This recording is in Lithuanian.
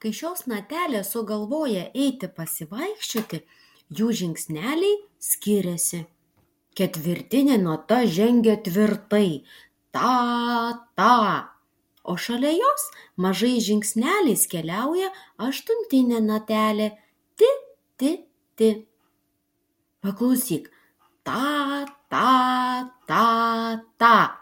Kai šios natelės sugalvoja eiti pasivaikščioti, jų žingsneliai skiriasi. Ketvirtinė nata žengia tvirtai, ta, ta, o šalia jos mažais žingsneliais keliauja aštuntinė natelė, ti, ti, ti. Paklausyk, ta, ta, ta, ta.